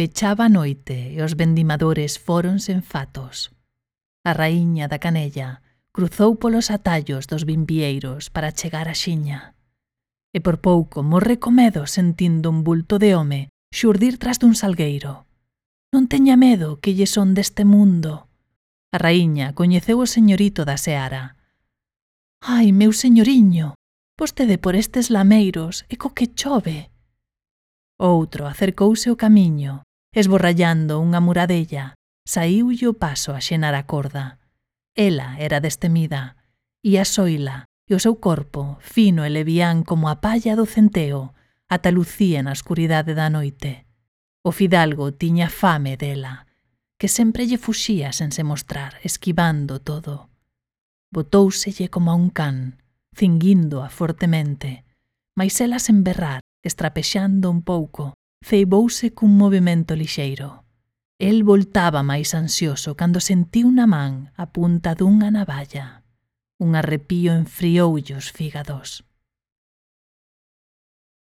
Pechaba a noite e os vendimadores fóronse en fatos. A raíña da Canella cruzou polos atallos dos vimbieiros para chegar á xiña. E por pouco morre co medo sentindo un bulto de home xurdir tras dun salgueiro. Non teña medo que lle son deste mundo. A raíña coñeceu o señorito da seara. Ai, meu señoriño, vostede por estes lameiros e co que chove. Outro acercouse ao camiño, esborrallando unha muradella, saíulle o paso a xenar a corda. Ela era destemida, e a soila e o seu corpo, fino e levián como a palla do centeo, ata lucía na escuridade da noite. O fidalgo tiña fame dela, que sempre lle fuxía sen se mostrar, esquivando todo. Botóuselle como a un can, cinguíndoa fortemente, mais ela sen berrar, estrapexando un pouco, ceibouse cun movimento lixeiro. El voltaba máis ansioso cando sentiu na man a punta dunha navalla. Un arrepío enfrioulle os fígados.